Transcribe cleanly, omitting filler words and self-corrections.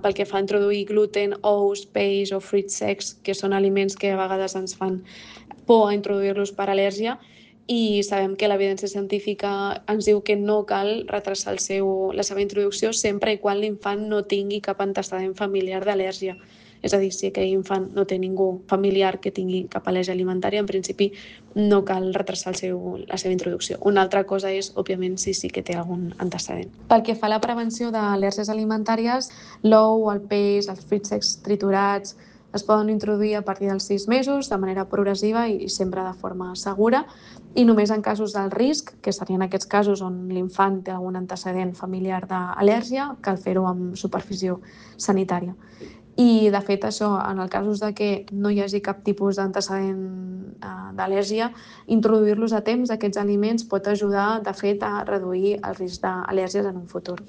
pel que fa a introduir gluten, ous, peix o fruits secs, que són aliments que a vegades ens fan por a introduir-los per al·lèrgia, i sabem que l'evidència científica ens diu que no cal retrasar la seva introducció sempre i quan l'infant no tingui cap antecedent familiar d'al·lèrgia. És a dir, si aquell infant no té ningú familiar que tingui cap al·lèrgia alimentària, en principi no cal retrasar la seva introducció. Una altra cosa és, òbviament, si sí que té algun antecedent. Pel que fa a la prevenció d'al·lèrgies alimentàries, l'ou, el peix, els fruits secs triturats es poden introduir a partir dels 6 mesos de manera progressiva i sempre de forma segura, i només en casos d'alt risc, que serien aquests casos on l'infant té algun antecedent familiar d'al·lèrgia, cal fer-ho amb supervisió sanitària. I, de fet, això, en el cas de que no hi hagi cap tipus d'antecedent d'al·lèrgia, introduir-los a temps, aquests aliments, pot ajudar, de fet, a reduir el risc d'al·lèrgies en un futur.